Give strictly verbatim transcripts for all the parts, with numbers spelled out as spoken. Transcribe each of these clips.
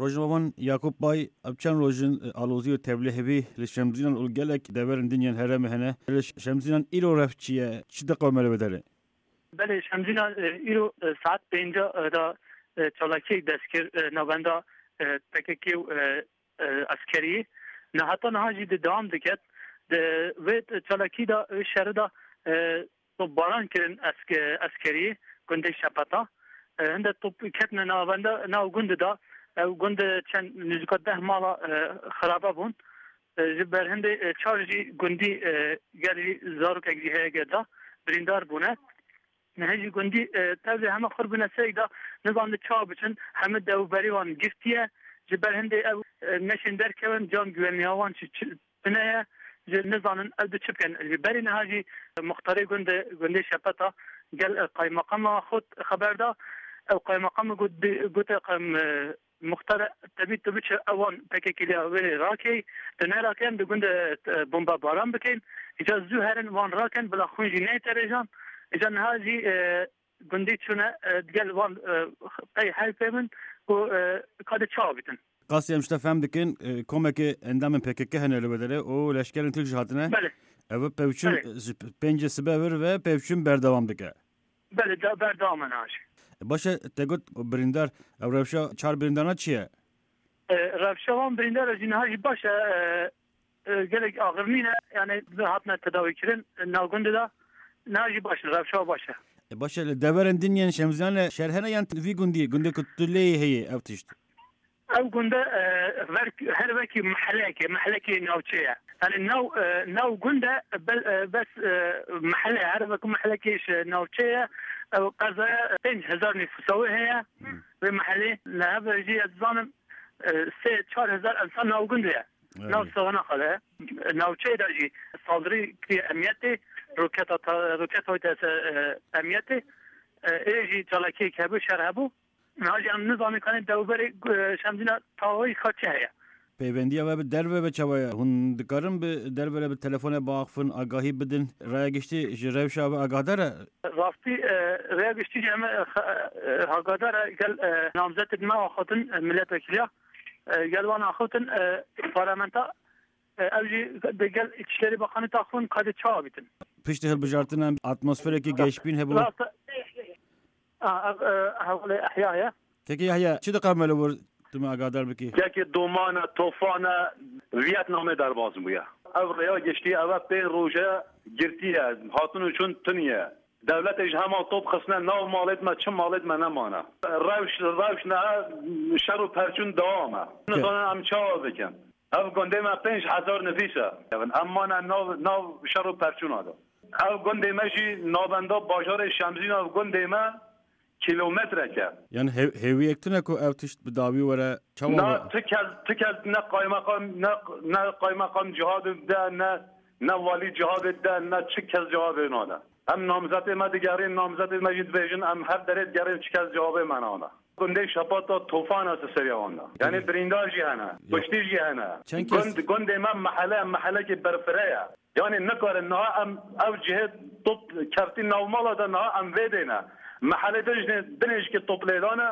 Rojnamevan Yakup Bay, ev çend roj in, e, alozî û tevlî hebî li Şemzînan û gelek deverên din yên herêmê hene. Li Ş-, Şemzînan îro rev çi ye? Çi diqewime li vê derê? Belê, Şemzînan, e, îro, e, saet pênca, e, da, e, çalakiyek dest kir, e, navenda, e, P K K û, e, e, eskeriyê. Ne heta niha jî di dewam diket. Di vê çalakî de, vê şerî de, e, topbaran kirin eske-, eskeriyê gundê Şepeta. E, hinde top ketine navenda, nav gundê de. Ew gundê çend nêzîka deh mala, e, xirabe bûn. E, ji ber hindê, e, çar jî gundî, e, gelî zarokek jî heye ge da birîndar bûne. Niha jî gundî, e, tevlê heme xurt bûne serek da, nizanî çawa biçin, hemî dewberî wan girtiye. Ji ber hindê ew, e, neşên derkevin, can güvenliya wan jî çi-, tune ye. Ji nizanin ew di çi bikin. Ji berî niha jî muxtarê gundê, gundê Şepeta gel, e, qaymeqama xwe xeber da. Ew qaymeqamê got, gote, em, e, Muxtar, tebî tu biçe ewan P K K'liya wê rakey, tu neraken di gund de, e, bombebaran bikin. Îca zû herin wan rakin, bila xwîn jî neyte rêjan. Îca niha jî, e, gundî çûne, e, digel wan, e, qey heyfê min û, e, ka de çawa bitin. Qasî em ji te fehm dikin, e, komekê endamên P K K hene li wê derê û leşkerên Tirk jî hatine. Belê. Ev pevçûn Belê. ji pêncê sibe vir ve pevçûn berdewam dike. Belê, de-, berdewam e niha jî. Baş e, te got birîndar, ev rewşa çar birîndarna çi ye? E, rewşa wan birîndar jî niha jî baş e, e, e, gelek axir nîne, yani hatine tedawîkirin, e, nav gundê de, niha jî baş e, rewşa baş e. E, baş e, li deverên din yên Şemzînan e şer hene yan vî gundî, gundê ku tu lê yê heye ev tişt? Ew gund e, e, ver, her wekî meheleyekê, mehelekê navçe ye. Yani nav, e, nav gund e, bel-, e, bes, e, mehele, her wekî mehelekê ji navçe ye. Ew qezaya pênc hezar nüfusa wê heye. Hmm. Vê mehelê, li hev jî ez dizanim, e, sê çar hezar insan nav gund e. Evet. Nav Sixina xwe de. Navçeyê de jî saldırî kiriye emniyetê, roketa ta-, roketa hoyte ser, e, emniyetê. E, ê jî çalakiyek hebû, şer hebû. Niha jî em nizanin kanê dewberê, e, Şemzîna tawayî xwe çi heye. Peyvendiya we bi derve ve çawa ye? Hûn dikarin bi derve re bi telefone biaxifin, agahî bidin? Raya giştî ji rewşa we agahdar e? Rastî, e, raya giştî jî em, e, xe-, e, agahdar e, gel, e, namzetê me axaftin, e, milletvekiliya. E, gel wan axaftin, e, parlamenta, e, ew jî digel Îçişlerî Bakanî taxûn kadê çawa bîtin. Piştî hilbijartina atmosferekî geşbîn hebû. Rast, a, ev, e, hevalê Ehya ye. Kekê Yahya, çi diqewime li wir tu me agahdar bikî? Kekê domane, tofane, Vietnamê derbas bûye. Ev rêya giştî, ev e pê roje girtiye, hatin û çûn tuniye. Dewletê ji hema top xistine nav malêt me, çi malêt me nemane. Rewş, rewş ne, şer û perçûn dewam e. Ke- Nizanin em çawa bikin. Ev gundê me pênc hezar nifîs e. Em mane nav, nav şer û perçûna de. Ev gundê me jî navenda bajarê Şemzîna, ev gundê me kîlometrek e. Yani hev-, hêwiyek tune ku ev tişt bi dawî were çawa Na, we? Ti kes, ti kes ne qaymeqam, ne, ne qaymeqam cihadê de, ne, ne walî cihadê de, ne çi kes cihadê nade. Em namzetê me digerin, namzetê me jî dibêjin, em her derê digerin, çi kes cihadê me nade. Gundê Şepata tofan e ser seriya wan de. Yani Evet. Birîndar jî hene, Ya. Kuştî jî hene. Çend kes Gund, gundê me mehele, mehelekê berfireh e. Yani nikarin niha em ev cihê top keftî nav mala de niha em vê dêne. Mehele de jî dinê jî ke top lê dane,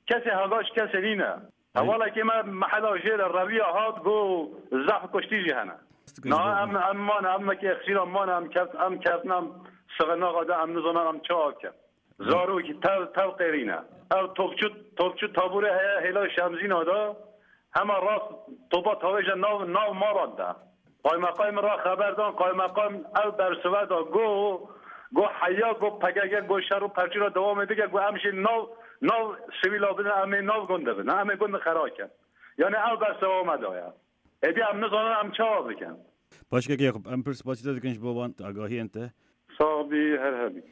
kesê hega ji kesê nîne. Ay. Hevalekê me mehela jê re reviya hat, got zehf kuştî jî hene. Niha em, em mane, em mekê xîra mane, em keft, em keftin, em sixinaxa de, em nizanin em çawa bikin. Zarokî tev, tev qêrîne. Ev topçu, topçu taborê heye hêla Şemzîna de. Hema rast topa tavêje nav, nav malan de. Qaymeqamê min ra xeber dan, qaymeqam ev bersive da, go, go heya, go P K K, go şer û perçûna dewamê dike, go em jî nav, nav sivîla bidin, em ê nav gund de bin, em ê gund xera kin. Yani ev bersiva me da ye. Êdî em nizanin em çawa bikin. Başkek Yakup, em pir spasî te dikin ji bo van agahiyên te. Sax bî, her hebî.